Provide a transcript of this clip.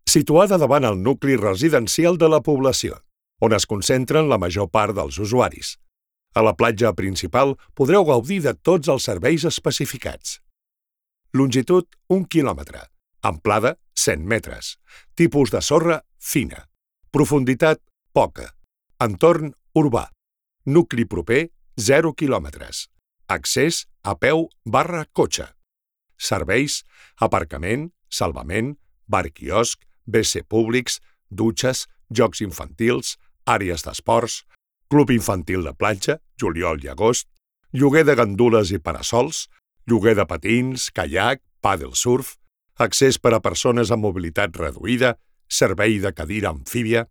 situada davant el nucli residencial de la població, on es concentren la major part dels usuaris. A la platja principal podreu gaudir de tots els serveis especificats. Longitud 1 quilòmetre, amplada 100 metres, tipus de sorra fina, profunditat poca, entorn urbà, nucli proper 0 quilòmetres, accés a peu/cotxe, serveis, aparcament, salvament, bar-quiosc, WC públics, dutxes, jocs infantils, àrees d'esports, club infantil de platja, juliol i agost, lloguer de gandules i parasols, lloguer de patins, caiac, pàdel surf, accés per a persones amb mobilitat reduïda, servei de cadira amfíbia,